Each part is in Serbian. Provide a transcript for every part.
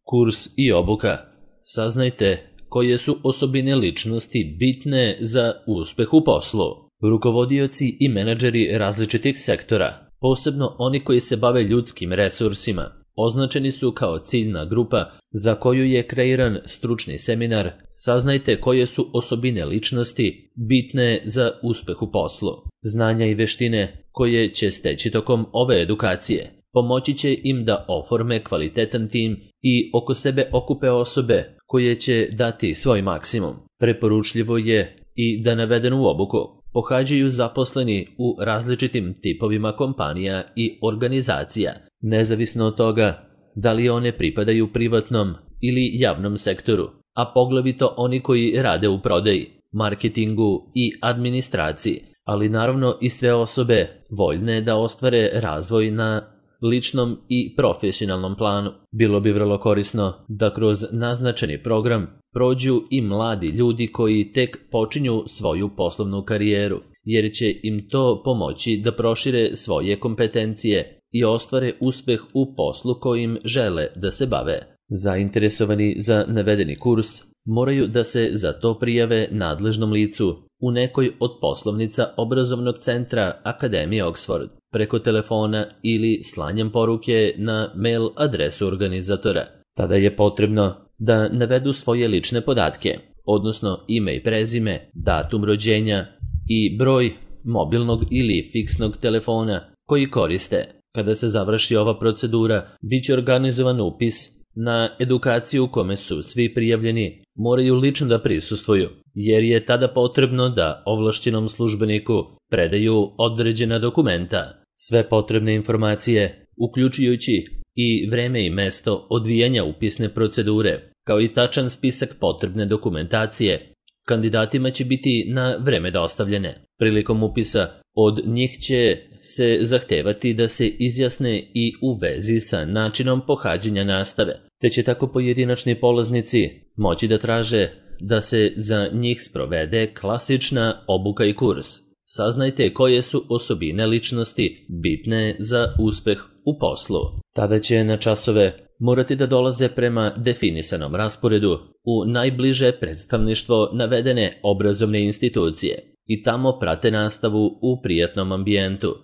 Kurs i obuka. Saznajte koje su osobine ličnosti bitne za uspeh u poslu. Rukovodioci i menadžeri različitih sektora, posebno oni koji se bave ljudskim resursima, označeni su kao ciljna grupa za koju je kreiran stručni seminar. Saznajte koje su osobine ličnosti bitne za uspeh u poslu. Znanja i veštine koje će steći tokom ove edukacije pomoći će im da oforme kvalitetan tim i oko sebe okupe osobe koje će dati svoj maksimum. Preporučljivo je i da navedenu obuku pohađaju zaposleni u različitim tipovima kompanija i organizacija, nezavisno od toga da li one pripadaju privatnom ili javnom sektoru, a poglavito oni koji rade u prodaji, marketingu i administraciji, ali naravno i sve osobe voljne da ostvare razvoj na ličnom i profesionalnom planu. Bilo bi vrlo korisno da kroz naznačeni program prođu i mladi ljudi koji tek počinju svoju poslovnu karijeru, jer će im to pomoći da prošire svoje kompetencije i ostvare uspeh u poslu kojim žele da se bave. Zainteresovani za navedeni kurs moraju da se za to prijave nadležnom licu u nekoj od poslovnica obrazovnog centra Akademije Oxford, preko telefona ili slanjem poruke na mail adresu organizatora. Tada je potrebno da navedu svoje lične podatke, odnosno ime i prezime, datum rođenja i broj mobilnog ili fiksnog telefona koji koriste. Kada se završi ova procedura, bit će organizovan upis na edukaciju u kome su svi prijavljeni moraju lično da prisustvuju, jer je tada potrebno da ovlašćenom službeniku predaju određena dokumenta. Sve potrebne informacije, uključujući i vreme i mesto odvijanja upisne procedure, kao i tačan spisak potrebne dokumentacije, kandidatima će biti na vreme dostavljene. Prilikom upisa od njih će se zahtevati da se izjasne i u vezi sa načinom pohađanja nastave, te će tako pojedinačni polaznici moći da traže da se za njih sprovede klasična obuka i kurs. Saznajte koje su osobine ličnosti bitne za uspeh u poslu. Tada će na časove morati da dolaze prema definisanom rasporedu u najbliže predstavništvo navedene obrazovne institucije i tamo prate nastavu u prijatnom ambijentu,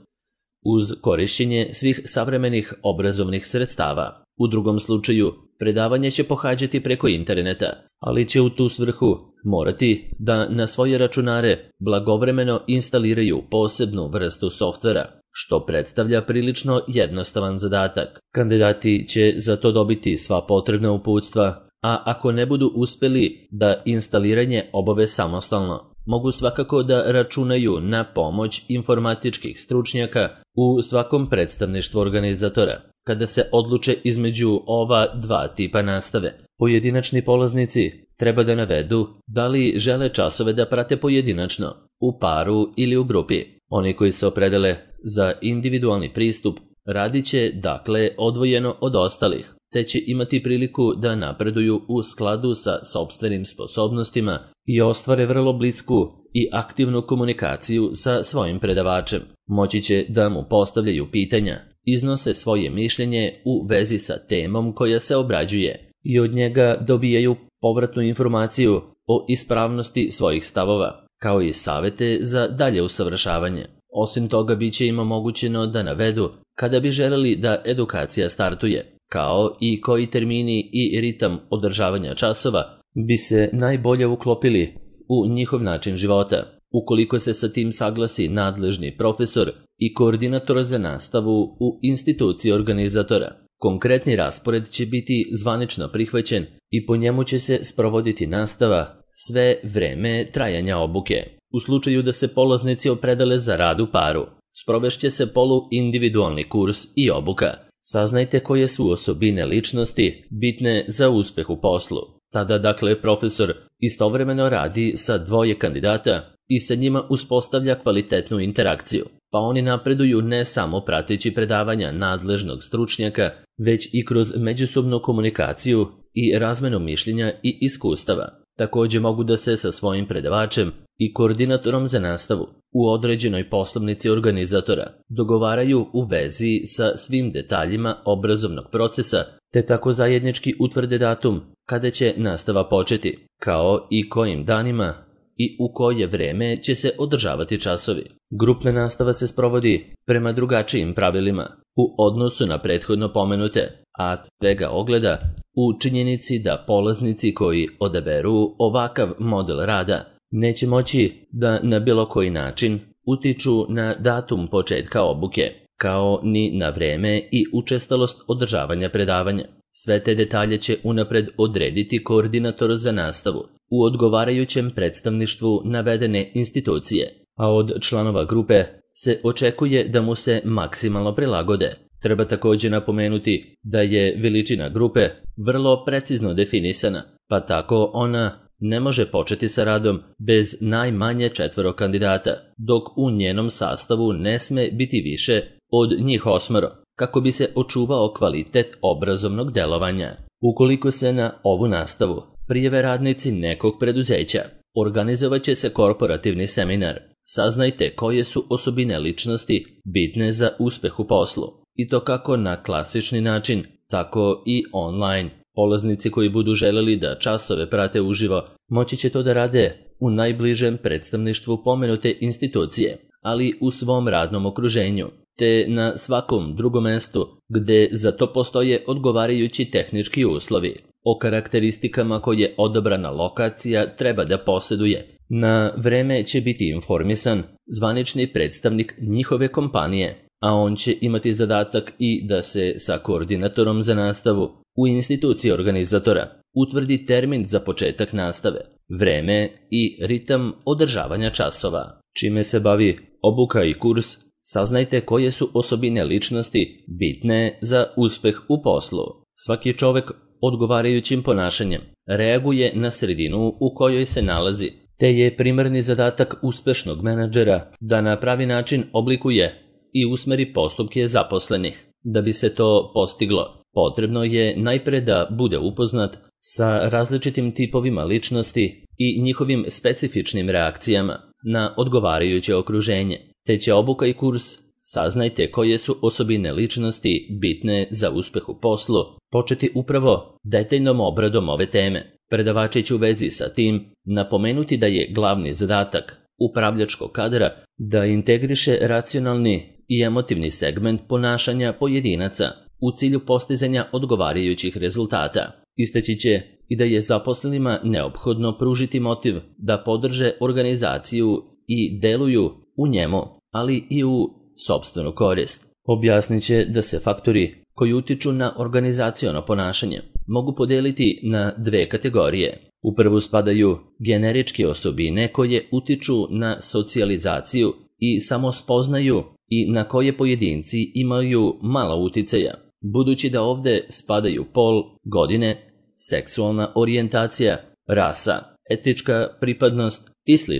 uz korišćenje svih savremenih obrazovnih sredstava. U drugom slučaju, predavanje će pohađati preko interneta, ali će u tu svrhu morati da na svoje računare blagovremeno instaliraju posebnu vrstu softvera, što predstavlja prilično jednostavan zadatak. Kandidati će za to dobiti sva potrebna uputstva, a ako ne budu uspeli da instaliranje obave samostalno, mogu svakako da računaju na pomoć informatičkih stručnjaka u svakom predstavništvu organizatora. Kada se odluče između ova dva tipa nastave, pojedinačni polaznici treba da navedu da li žele časove da prate pojedinačno, u paru ili u grupi. Oni koji se opredele za individualni pristup radit će dakle odvojeno od ostalih, te će imati priliku da napreduju u skladu sa sopstvenim sposobnostima i ostvare vrlo blisku i aktivnu komunikaciju sa svojim predavačem. Moći će da mu postavljaju pitanja, iznose svoje mišljenje u vezi sa temom koja se obrađuje i od njega dobijaju povratnu informaciju o ispravnosti svojih stavova, kao i savete za dalje usavršavanje. Osim toga, bit će im omogućeno da navedu kada bi želeli da edukacija startuje, kao i koji termini i ritam održavanja časova bi se najbolje uklopili u njihov način života. Ukoliko se sa tim saglasi nadležni profesor i koordinator za nastavu u instituciji organizatora, konkretni raspored će biti zvanično prihvaćen i po njemu će se sprovoditi nastava sve vreme trajanja obuke. U slučaju da se polaznici opredele za rad u paru, sprovešće se poluindividualni kurs i obuka. Saznajte koje su osobine ličnosti bitne za uspeh u poslu. Tada dakle profesor istovremeno radi sa dvoje kandidata i sa njima uspostavlja kvalitetnu interakciju, pa oni napreduju ne samo prateći predavanja nadležnog stručnjaka, već i kroz međusobnu komunikaciju i razmenu mišljenja i iskustava. Također mogu da se sa svojim predavačem i koordinatorom za nastavu u određenoj poslovnici organizatora dogovaraju u vezi sa svim detaljima obrazovnog procesa, te tako zajednički utvrde datum kada će nastava početi, kao i kojim danima i u koje vreme će se održavati časovi. Grupna nastava se sprovodi prema drugačijim pravilima u odnosu na prethodno pomenute, a svega ogleda u činjenici da polaznici koji odaberu ovakav model rada neće moći da na bilo koji način utiču na datum početka obuke, kao ni na vreme i učestalost održavanja predavanja. Sve te detalje će unapred odrediti koordinator za nastavu u odgovarajućem predstavništvu navedene institucije, a od članova grupe se očekuje da mu se maksimalno prilagode. Treba također napomenuti da je veličina grupe vrlo precizno definisana, pa tako ona ne može početi sa radom bez najmanje 4 kandidata, dok u njenom sastavu ne sme biti više od njih 8, kako bi se očuvao kvalitet obrazovnog delovanja. Ukoliko se na ovu nastavu prijave radnici nekog preduzeća, organizovat će se korporativni seminar. Saznajte koje su osobine ličnosti bitne za uspeh u poslu, i to kako na klasični način, tako i online. Polaznici koji budu želeli da časove prate uživo moći će to da rade u najbližem predstavništvu pomenute institucije, ali u svom radnom okruženju, te na svakom drugom mestu gde za to postoje odgovarajući tehnički uslovi. O karakteristikama koje odabrana lokacija treba da posjeduje. Na vreme će biti informisan zvanični predstavnik njihove kompanije, a on će imati zadatak i da se sa koordinatorom za nastavu u instituciji organizatora utvrdi termin za početak nastave, vreme i ritam održavanja časova. Čime se bavi obuka i kurs, saznajte koje su osobine ličnosti bitne za uspeh u poslu. Svaki čovek odgovarajućim ponašanjem reaguje na sredinu u kojoj se nalazi, te je primarni zadatak uspešnog menadžera da na pravi način oblikuje i usmeri postupke zaposlenih. Da bi se to postiglo, potrebno je najpre da bude upoznat sa različitim tipovima ličnosti i njihovim specifičnim reakcijama na odgovarajuće okruženje. Te će obuka i kurs Saznajte koje su osobine ličnosti bitne za uspeh u poslu početi upravo detaljnom obradom ove teme. Predavači će u vezi sa tim napomenuti da je glavni zadatak upravljačkog kadra da integriše racionalni i emotivni segment ponašanja pojedinaca u cilju postizanja odgovarajućih rezultata. Istaći će i da je zaposlenima neophodno pružiti motiv da podrže organizaciju i deluju u njemu, ali i u sopstvenu korist. Objasnit će da se faktori koji utiču na organizaciono ponašanje mogu podeliti na dve kategorije. U prvu spadaju generičke osobine koje utiču na socijalizaciju i samospoznaju i na koje pojedinci imaju malo uticaja, budući da ovde spadaju pol, godine, seksualna orijentacija, rasa, etička pripadnost i sl.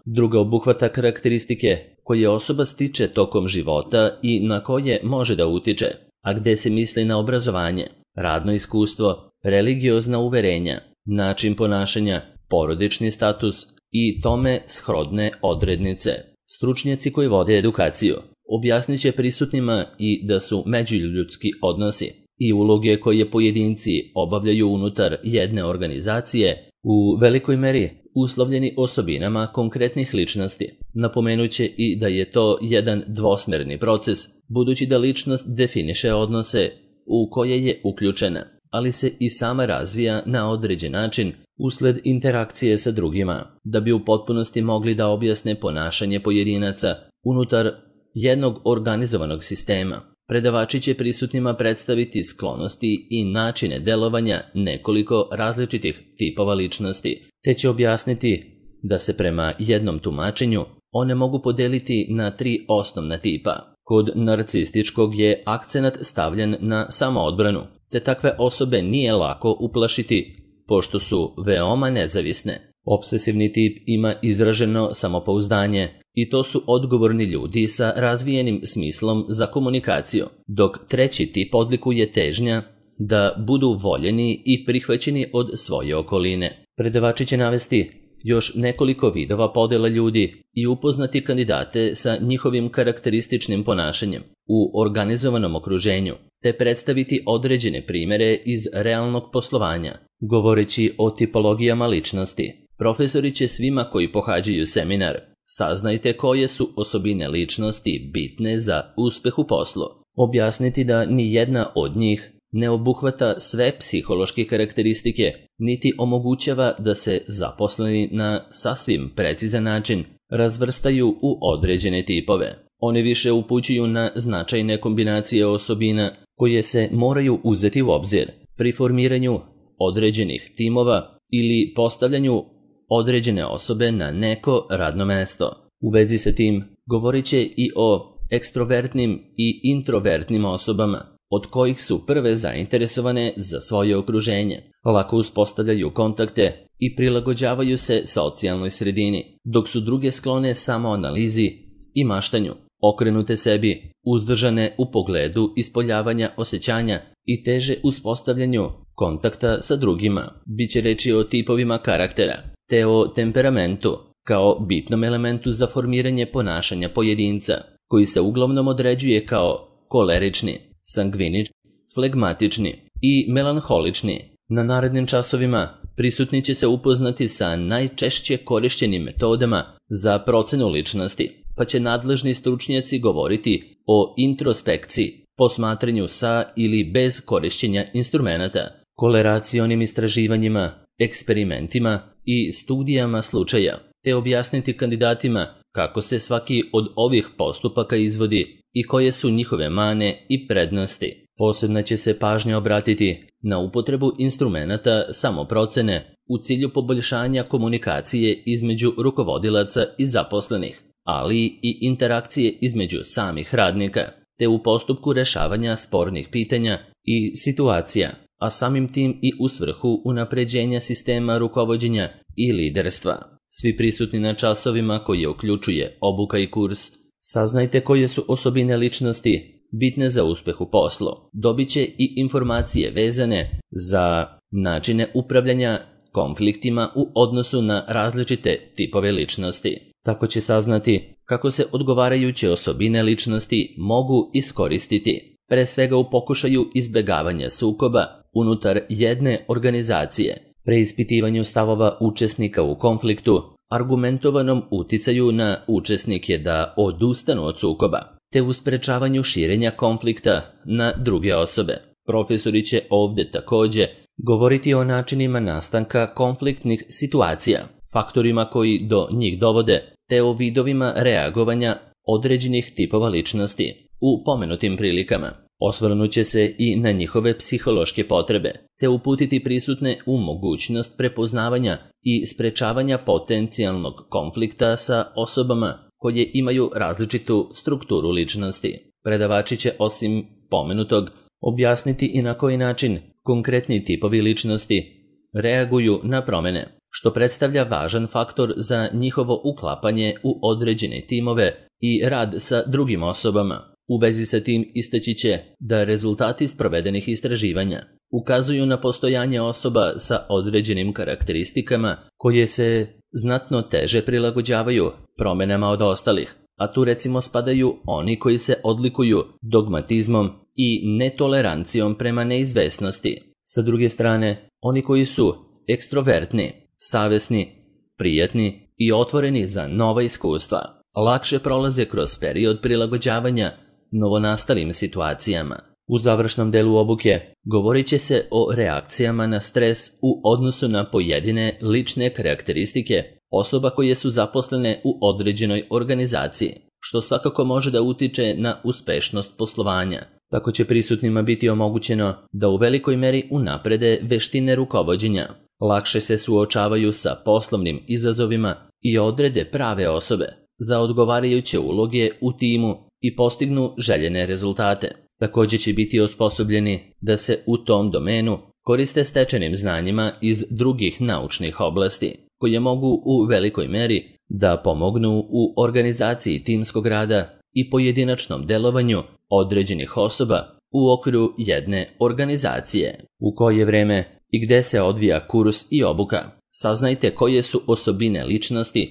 Druga obuhvata karakteristike koje osoba stiče tokom života i na koje može da utiče, a gde se misli na obrazovanje, radno iskustvo, religiozna uverenja, način ponašanja, porodični status i tome shodne odrednice. Stručnjaci koji vode edukaciju objasnit će prisutnima i da su međuljudski odnosi i uloge koje pojedinci obavljaju unutar jedne organizacije u velikoj meri uslovljeni osobinama konkretnih ličnosti. Napomenut će i da je to jedan dvosmerni proces, budući da ličnost definiše odnose u koje je uključena, ali se i sama razvija na određen način usled interakcije sa drugima, da bi u potpunosti mogli da objasne ponašanje pojedinaca unutar jednog organizovanog sistema. Predavači će prisutnima predstaviti sklonosti i načine delovanja nekoliko različitih tipova ličnosti, te će objasniti da se prema jednom tumačenju one mogu podeliti na 3 osnovna tipa. Kod narcističkog je akcenat stavljen na samoodbranu, te takve osobe nije lako uplašiti, pošto su veoma nezavisne. Obsesivni tip ima izraženo samopouzdanje i to su odgovorni ljudi sa razvijenim smislom za komunikaciju, dok treći tip odlikuje težnja da budu voljeni i prihvaćeni od svoje okoline. Predavači će navesti još nekoliko vidova podela ljudi i upoznati kandidate sa njihovim karakterističnim ponašanjem u organizovanom okruženju, te predstaviti određene primere iz realnog poslovanja. Govoreći o tipologijama ličnosti, profesori će svima koji pohađaju seminar: saznajte koje su osobine ličnosti bitne za uspeh u poslu, objasniti da ni jedna od njih ne obuhvata sve psihološke karakteristike, niti omogućava da se zaposleni na sasvim precizan način razvrstaju u određene tipove. One više upućuju na značajne kombinacije osobina koje se moraju uzeti u obzir pri formiranju određenih timova ili postavljanju određene osobe na neko radno mesto. U vezi sa tim govorit će i o ekstrovertnim i introvertnim osobama, od kojih su prve zainteresovane za svoje okruženje, lako uspostavljaju kontakte i prilagođavaju se socijalnoj sredini, dok su druge sklone samoanalizi i maštanju, okrenute sebi, uzdržane u pogledu ispoljavanja osjećanja i teže uspostavljanju kontakta sa drugima. Biće reči o tipovima karaktera, te o temperamentu kao bitnom elementu za formiranje ponašanja pojedinca, koji se uglavnom određuje kao kolerični, sangvinični, flegmatični i melanholični. Na narednim časovima prisutni će se upoznati sa najčešće korišćenim metodama za procenu ličnosti, pa će nadležni stručnjaci govoriti o introspekciji, posmatranju sa ili bez korišćenja instrumenata, koleracionim istraživanjima, eksperimentima i studijama slučaja, te objasniti kandidatima kako se svaki od ovih postupaka izvodi i koje su njihove mane i prednosti. Posebna će se pažnja obratiti na upotrebu instrumenata samoprocene u cilju poboljšanja komunikacije između rukovodilaca i zaposlenih, ali i interakcije između samih radnika, te u postupku rešavanja spornih pitanja i situacija, a samim tim i u svrhu unapređenja sistema rukovođenja i liderstva. Svi prisutni na časovima koje uključuje obuka i kurs saznajte koje su osobine ličnosti bitne za uspeh u poslu. Dobit će i informacije vezane za načine upravljanja konfliktima u odnosu na različite tipove ličnosti. Tako će saznati kako se odgovarajuće osobine ličnosti mogu iskoristiti, pre svega u pokušaju izbjegavanja sukoba unutar jedne organizacije, preispitivanju stavova učesnika u konfliktu, argumentovanom uticaju na učesnike da odustanu od sukoba, te u sprečavanju širenja konflikta na druge osobe. Profesori će ovdje također govoriti o načinima nastanka konfliktnih situacija, faktorima koji do njih dovode, te o vidovima reagovanja određenih tipova ličnosti u pomenutim prilikama. Osvrnut će se i na njihove psihološke potrebe, te uputiti prisutne u mogućnost prepoznavanja i sprečavanja potencijalnog konflikta sa osobama koje imaju različitu strukturu ličnosti. Predavači će osim pomenutog objasniti i na koji način konkretni tipovi ličnosti reaguju na promjene, što predstavlja važan faktor za njihovo uklapanje u određene timove i rad sa drugim osobama. U vezi sa tim istaći će da rezultati sprovedenih istraživanja ukazuju na postojanje osoba sa određenim karakteristikama koje se znatno teže prilagođavaju promjenama od ostalih, a tu recimo spadaju oni koji se odlikuju dogmatizmom i netolerancijom prema neizvesnosti. Sa druge strane, oni koji su ekstrovertni, savesni, prijatni i otvoreni za nova iskustva, lakše prolaze kroz period prilagođavanja novonastalim situacijama. U završnom delu obuke govorit će se o reakcijama na stres u odnosu na pojedine lične karakteristike osoba koje su zaposlene u određenoj organizaciji, što svakako može da utiče na uspešnost poslovanja. Tako će prisutnima biti omogućeno da u velikoj meri unaprede veštine rukovođenja, lakše se suočavaju sa poslovnim izazovima i odrede prave osobe za odgovarajuće uloge u timu i postignu željene rezultate. Također će biti osposobljeni da se u tom domenu koriste stečenim znanjima iz drugih naučnih oblasti, koje mogu u velikoj meri da pomognu u organizaciji timskog rada i pojedinačnom delovanju određenih osoba u okviru jedne organizacije. U koje vreme i gde se odvija kurs i obuka, Saznajte koje su osobine ličnosti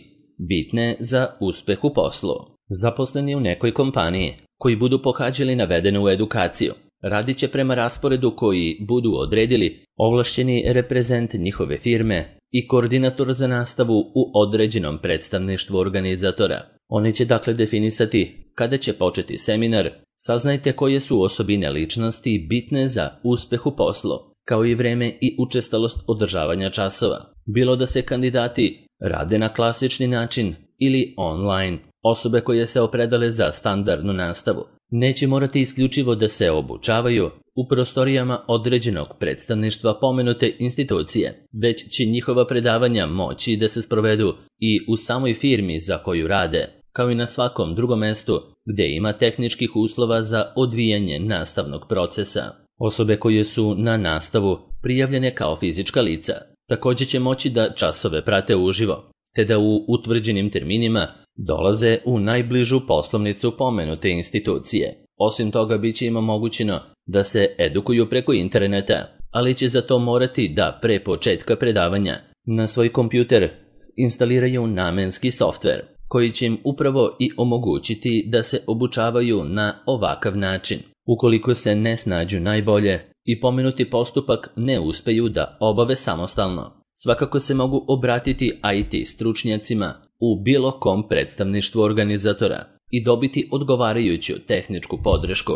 bitne za uspeh u poslu. Zaposleni u nekoj kompaniji koji budu pohađali navedenu edukaciju radit će prema rasporedu koji budu odredili ovlašćeni reprezent njihove firme i koordinator za nastavu u određenom predstavništvu organizatora. Oni će dakle definisati kada će početi seminar. Saznajte koje su osobine ličnosti bitne za uspeh u poslu, kao i vreme i učestalost održavanja časova. Bilo da se kandidati rade na klasični način ili online. Osobe koje se opredale za standardnu nastavu neće morati isključivo da se obučavaju u prostorijama određenog predstavništva pomenute institucije, već će njihova predavanja moći da se sprovedu i u samoj firmi za koju rade, kao i na svakom drugom mestu gdje ima tehničkih uslova za odvijanje nastavnog procesa. Osobe koje su na nastavu prijavljene kao fizička lica također će moći da časove prate uživo, te da u utvrđenim terminima dolaze u najbližu poslovnicu pomenute institucije. Osim toga, bit će im omogućeno da se edukuju preko interneta, ali će za to morati da pre početka predavanja na svoj kompjuter instaliraju namenski softver, koji će im upravo i omogućiti da se obučavaju na ovakav način. Ukoliko se ne snađu najbolje i pomenuti postupak ne uspeju da obave samostalno, svakako se mogu obratiti IT stručnjacima u bilo kom predstavništvu organizatora i dobiti odgovarajuću tehničku podršku.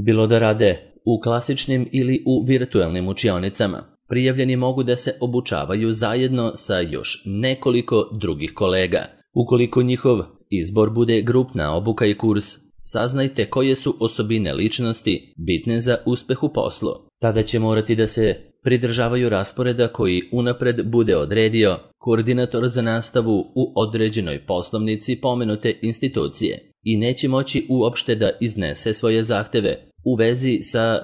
Bilo da rade u klasičnim ili u virtualnim učionicama, prijavljeni mogu da se obučavaju zajedno sa još nekoliko drugih kolega. Ukoliko njihov izbor bude grupna obuka i kurs, saznajte koje su osobine ličnosti bitne za uspeh u poslu. Tada će morati da se pridržavaju rasporeda koji unapred bude odredio koordinator za nastavu u određenoj poslovnici pomenute institucije i neće moći uopšte da iznese svoje zahteve u vezi sa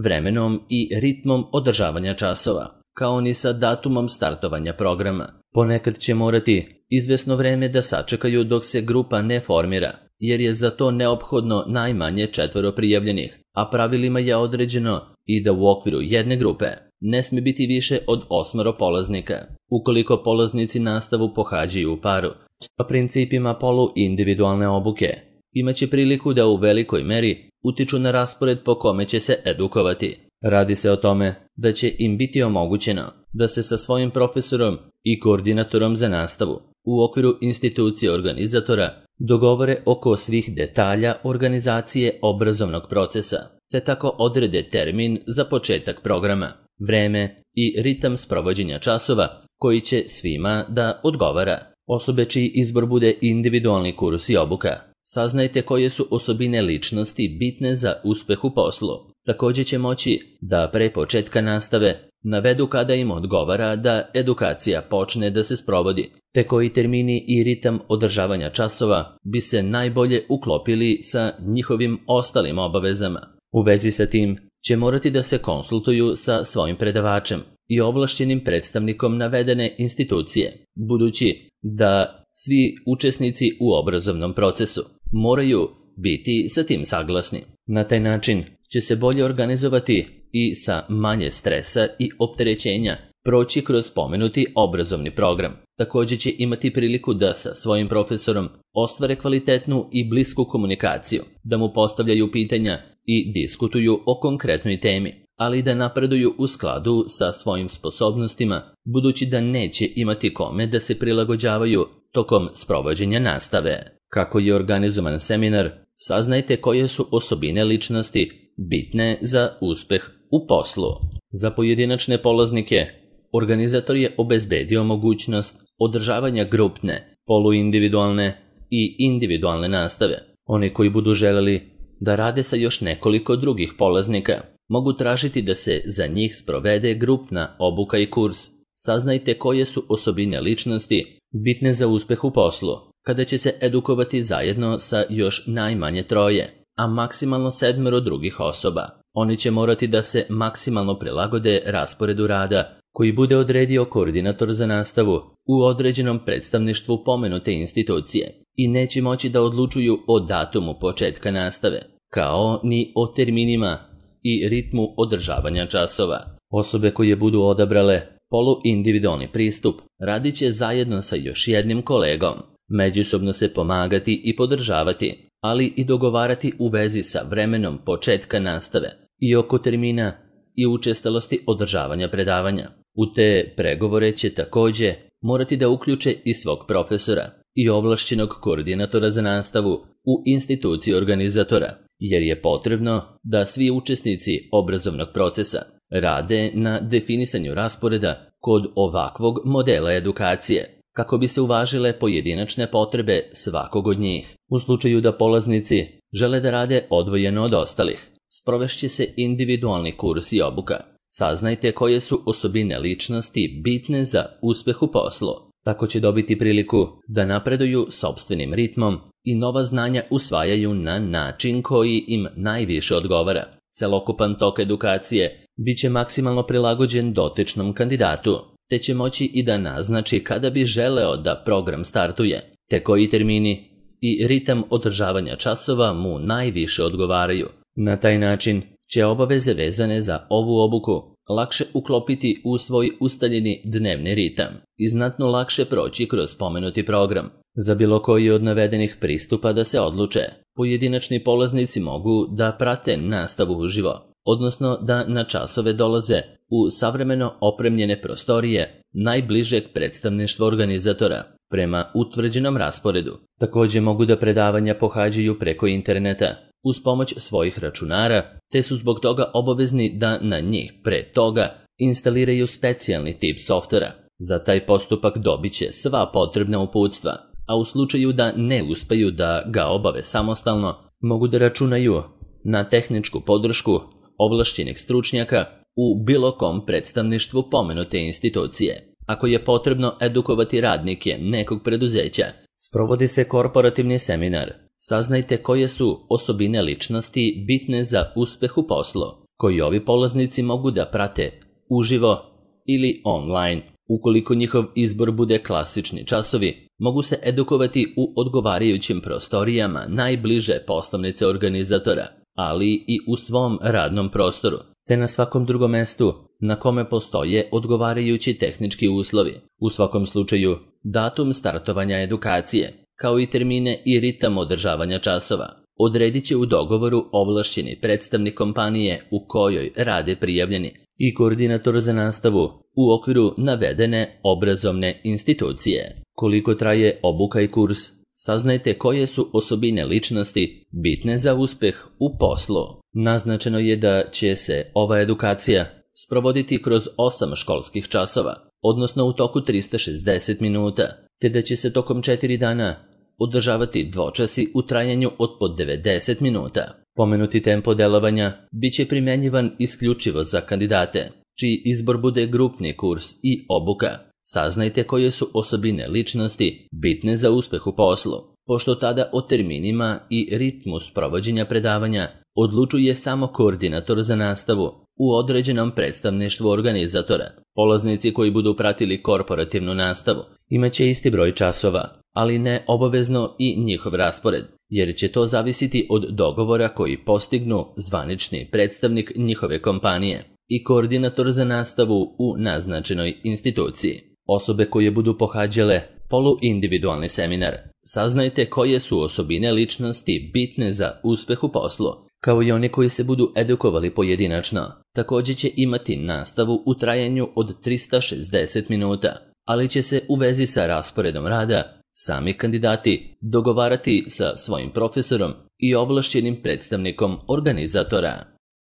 vremenom i ritmom održavanja časova, kao ni sa datumom startovanja programa. Ponekad će morati izvesno vreme da sačekaju dok se grupa ne formira, jer je za to neophodno najmanje 4 prijavljenih, a pravilima je određeno i da u okviru jedne grupe ne smije biti više od 8 polaznika. Ukoliko polaznici nastavu pohađaju u paru, sa principima polu-individualne obuke, imaće priliku da u velikoj meri utiču na raspored po kome će se edukovati. Radi se o tome da će im biti omogućeno da se sa svojim profesorom i koordinatorom za nastavu u okviru institucije organizatora dogovore oko svih detalja organizacije obrazovnog procesa, te tako odrede termin za početak programa, vreme i ritam sprovođenja časova koji će svima da odgovara. Osobe čiji izbor bude individualni kurs i obuka, saznajte koje su osobine ličnosti bitne za uspeh u poslu. Također će moći da pre početka nastave navedu kada im odgovara da edukacija počne da se sprovodi, te koji termini i ritam održavanja časova bi se najbolje uklopili sa njihovim ostalim obavezama. U vezi sa tim će morati da se konsultuju sa svojim predavačem i ovlašćenim predstavnikom navedene institucije, budući da svi učesnici u obrazovnom procesu moraju biti sa tim saglasni. Na taj način će se bolje organizovati i sa manje stresa i opterećenja proći kroz spomenuti obrazovni program. Također će imati priliku da sa svojim profesorom ostvare kvalitetnu i blisku komunikaciju, da mu postavljaju pitanja i diskutuju o konkretnoj temi, ali da napreduju u skladu sa svojim sposobnostima, budući da neće imati kome da se prilagođavaju tokom sprovođenja nastave. Kako je organizovan seminar, saznajte koje su osobine ličnosti bitne za uspeh u poslu. Za pojedinačne polaznike, organizator je obezbedio mogućnost održavanja grupne, poluindividualne i individualne nastave. Oni koji budu želeli da rade sa još nekoliko drugih polaznika, mogu tražiti da se za njih sprovede grupna obuka i kurs. Saznajte koje su osobine ličnosti bitne za uspeh u poslu, kada će se edukovati zajedno sa još najmanje 3, a maksimalno 7 drugih osoba. Oni će morati da se maksimalno prilagode rasporedu rada koji bude odredio koordinator za nastavu u određenom predstavništvu pomenute institucije i neće moći da odlučuju o datumu početka nastave, kao ni o terminima i ritmu održavanja časova. Osobe koje budu odabrale poluindividualni pristup, radit će zajedno sa još jednim kolegom, međusobno se pomagati i podržavati, ali i dogovarati u vezi sa vremenom početka nastave i oko termina i učestalosti održavanja predavanja. U te pregovore će također morati da uključe i svog profesora i ovlašćenog koordinatora za nastavu u instituciji organizatora, jer je potrebno da svi učesnici obrazovnog procesa rade na definisanju rasporeda kod ovakvog modela edukacije, kako bi se uvažile pojedinačne potrebe svakog od njih. U slučaju da polaznici žele da rade odvojeno od ostalih, sprovešće se individualni kurs i obuka. Saznajte koje su osobine ličnosti bitne za uspeh u poslu. Tako će dobiti priliku da napreduju sopstvenim ritmom i nova znanja usvajaju na način koji im najviše odgovara. Celokupan tok edukacije bit će maksimalno prilagođen dotičnom kandidatu, te će moći i da naznači kada bi želeo da program startuje, te koji termini i ritam održavanja časova mu najviše odgovaraju. Na taj način će obaveze vezane za ovu obuku lakše uklopiti u svoj ustaljeni dnevni ritam i znatno lakše proći kroz spomenuti program. Za bilo koji od navedenih pristupa da se odluče, pojedinačni polaznici mogu da prate nastavu uživo, odnosno da na časove dolaze u savremeno opremljene prostorije najbližeg predstavništva organizatora prema utvrđenom rasporedu. Također mogu da predavanja pohađaju preko interneta uz pomoć svojih računara, te su zbog toga obavezni da na njih pre toga instaliraju specijalni tip softvera. Za taj postupak dobit će sva potrebna uputstva, a u slučaju da ne uspeju da ga obave samostalno, mogu da računaju na tehničku podršku ovlašćenih stručnjaka u bilo kom predstavništvu pomenute institucije. Ako je potrebno edukovati radnike nekog preduzeća, sprovodi se korporativni seminar. Saznajte koje su osobine ličnosti bitne za uspeh u poslu, koji ovi polaznici mogu da prate uživo ili online. Ukoliko njihov izbor bude klasični časovi, mogu se edukovati u odgovarajućim prostorijama najbliže poslovnice organizatora, ali i u svom radnom prostoru, te na svakom drugom mestu na kome postoje odgovarajući tehnički uslovi. U svakom slučaju, datum startovanja edukacije, kao i termine i ritam održavanja časova, odredit će u dogovoru ovlašćeni predstavnik kompanije u kojoj rade prijavljeni i koordinator za nastavu u okviru navedene obrazovne institucije. Koliko traje obuka i kurs, saznajte koje su osobine ličnosti bitne za uspeh u poslu. Naznačeno je da će se ova edukacija sprovoditi kroz 8 školskih časova, odnosno u toku 360 minuta, te da će se tokom 4 dana održavati dvočasi u trajanju od po 90 minuta. Pomenuti tempo delovanja bit će primjenjivan isključivo za kandidate, čiji izbor bude grupni kurs i obuka. Saznajte koje su osobine ličnosti bitne za uspeh u poslu, pošto tada o terminima i ritmu sprovođenja predavanja odlučuje samo koordinator za nastavu u određenom predstavništvu organizatora. Polaznici koji budu pratili korporativnu nastavu imaće isti broj časova, ali ne obavezno i njihov raspored, jer će to zavisiti od dogovora koji postignu zvanični predstavnik njihove kompanije i koordinator za nastavu u naznačenoj instituciji. Osobe koje budu pohađale poluindividualni seminar, saznajte koje su osobine ličnosti bitne za uspeh u poslu, kao i oni koji se budu edukovali pojedinačno. Također će imati nastavu u trajanju od 360 minuta, ali će se u vezi sa rasporedom rada sami kandidati dogovarati sa svojim profesorom i ovlašćenim predstavnikom organizatora.